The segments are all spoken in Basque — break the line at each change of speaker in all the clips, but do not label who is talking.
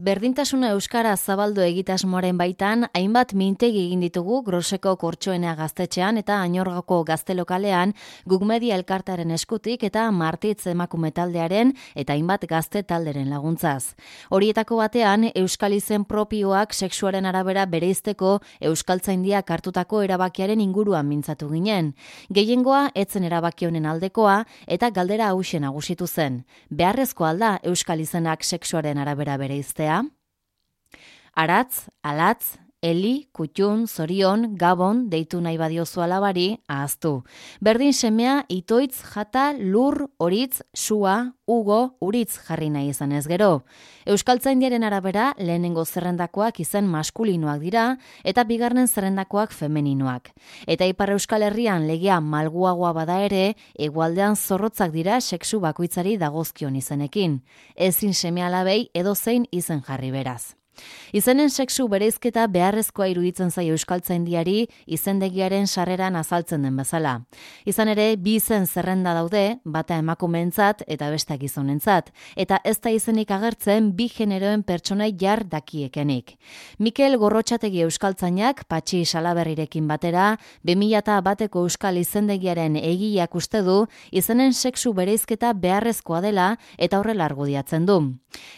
Berdintasuna euskara zabaldu egitasmoaren baitan, hainbat mintegi egin ditugu Groseko Kortxoenea gaztetxean eta Añorgako gaztelokalean, Guk Media elkartaren eskutik eta Martitz emakume taldearen eta hainbat gazte talderen laguntzaz. Horietako batean, euskal izen propioak sexuaren arabera bereizteko euskaltzaindiak hartutako erabakiaren inguruan mintzatu ginen. Gehiengoa etzen erabaki honen aldekoa eta galdera hauxe nagusitu zen. Beharrezkoa alda euskal izenak sexuaren arabera bereiztea? Aratz, alatz, Eli, Kutxun, Zorion, Gabon, deitu nahi badiozu alabari, ahaztu. Berdin semea, itoitz, jata, lur, horitz, sua, ugo, uritz jarri nahi izan ez gero. Euskaltzaindiaren arabera, lehenengo zerrendakoak izen maskulinoak dira, eta bigarren zerrendakoak femeninoak. Eta Ipar Euskal Herrian legea malguagoa bada ere, hegoaldean zorrotzak dira sexu bakoitzari dagozkion izenekin. Ezin seme-alabei edozein izen jarri beraz. Izenen sexu bereizketa beharrezkoa iruditzen zaio euskaltzaindiari izendegiaren sarreran azaltzen den bezala. Izan ere, bi izen zerrenda daude, bata emakumeentzat eta beste gizonentzat, eta ez da izenik agertzen bi generoen pertsonai jar dakiekenik. Mikel Gorrotxategi euskaltzainak Patxi Salaberrirekin batera, 2001ko euskal izendegiaren egileak uste du izenen sexu bereizketa beharrezkoa dela eta horrela argudiatzen du.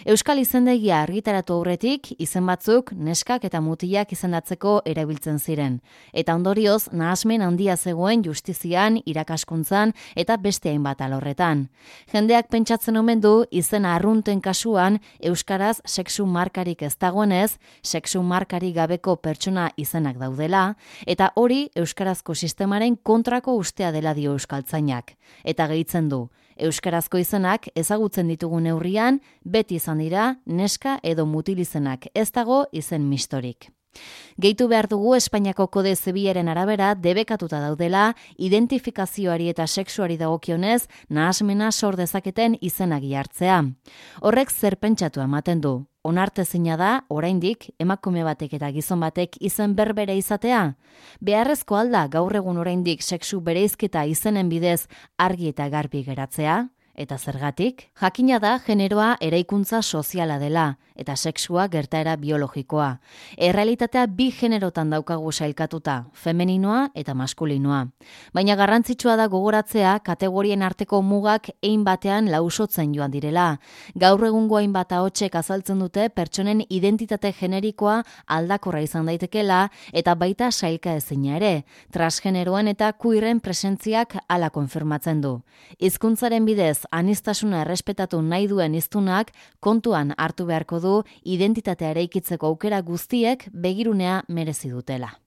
Euskal izendegia argitaratu aurretik izen batzuk neskak eta mutilak izendatzeko erabiltzen ziren. Eta ondorioz, nahasmen handia zegoen justizian, irakaskuntzan eta beste hainbat alorretan. Jendeak pentsatzen omen du izena arrunten kasuan euskaraz sexu markarik ez dagoenez, sexu markarik gabeko pertsona izenak daudela, eta hori euskarazko sistemaren kontrako ustea dela dio euskaltzainak. Eta gehitzen du, euskarazko izenak ezagutzen ditugun neurrian, beti izan dira neska edo mutil izenak, ez dago izen mistorik. Gehitu behar dugu Espainiako kode zibilaren arabera debekatuta daudela identifikazioari eta sexuari dagokionez nahasmena sor dezaketen izenak hartzea. Horrek zer pentsatu ematen du. Onartezina da, oraindik, emakume batek eta gizon batek izen berbere izatea? Beharrezko alda gaur egun oraindik sexu bereizketa izenen bidez argi eta garbi geratzea? Eta zergatik? Jakina da generoa eraikuntza soziala dela, eta sexua gertaera biologikoa. Errealitatea bi generotan daukagu sailkatuta, femeninoa eta maskulinoa. Baina garrantzitsua da gogoratzea kategorien arteko mugak ein batean lausotzen joan direla. Gaur egungo hainbat ahotsek azaltzen dute pertsonen identitate generikoa aldakorra izan daitekela eta baita sailka ezina ere. Transgeneroen eta queeren presentziak hala konfirmatzen du. Hizkuntzaren bidez aniztasuna errespetatu nahi duen hiztunak kontuan hartu beharko du identitatea eraikitzeko aukera guztiek begirunea merezi dutela.